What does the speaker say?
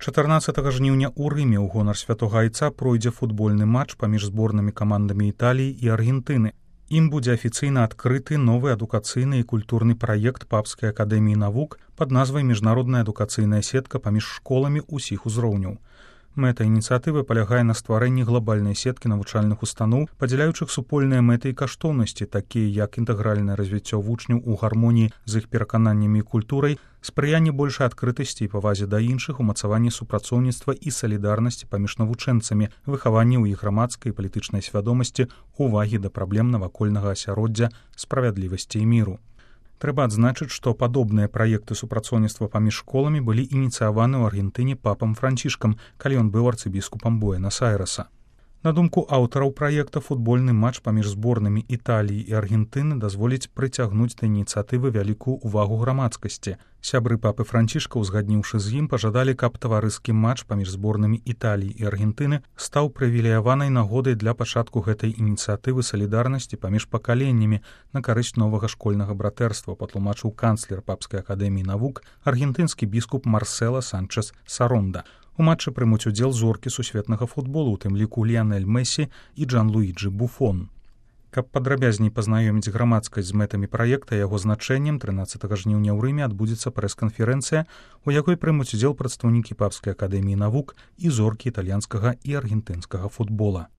14 жніўня ў Рыме ў гонар святога айца пройдзе футбольны матч паміж зборнымі камандамі Італіі і Аргентыны. Ім будзе афіцыйна адкрыты новы адукацыйны і культурны праект Папскай акадэміі навук пад назвай міжнародная адукацыйная сетка паміж школамі ўсіх узроўняў. Мэта ініцыятывы палягае на стварэнні глобальнай сеткі навучальных устаноў, падзяляючых супольныя мэты і каштоўнасці, такія як інтэгральнае развіццё вучняў у гармоніі з іх перакананнямі і культурай, спрыянне большай адкрытасці і павазе да іншых, умацаванне супрацоўніцтва і салідарнасці паміж навучэнцамі, выхаванне ў іх грамадскай і палітычнай свядомасці, увагі да праблем навакольнага асяроддзя, справядлівасці і міру. Трэба адзначыць, што падобныя праекты супрацоўніцтва паміж школамі былі ініцыяваны ў Аргентыне папам Францішкам, калі ён быў арцыбіскупам Буэнас-Айрэса. На думку аўтараў праекта, футбольны матч паміж зборнымі Італіі і Аргентыны дазволіць прыцягнуць да ініцыятывы вялікую ўвагу грамадскасці. Сябры папы Францішка, узгадніўшы з ім, пажадалі, каб таварыскі матч паміж зборнымі Італіі і Аргентыны стаў прывілеяванай нагодай для пачатку гэтай ініцыятывы салідарнасці паміж пакаленнямі на карысць новага школьнага братэрства, патлумачыў канцлер Папскай акадэміі навук, аргентынскі біскуп Марсела Санчес Саронда. У матчы прымуць удзел зоркі сусветнага футболу, у тым ліку Ліянель Мессі і Джанлуіджы Буфон. Каб падрабязней пазнаёміць грамадскасць з мэтамі праекта і яго значэннем, 13 жніўня ў Рыме адбудзецца прэс-канферэнцыя, у якой прымуць удзел прадстаўнікі Папскай акадэміі навук і зоркі італьянскага і аргентынскага футбола.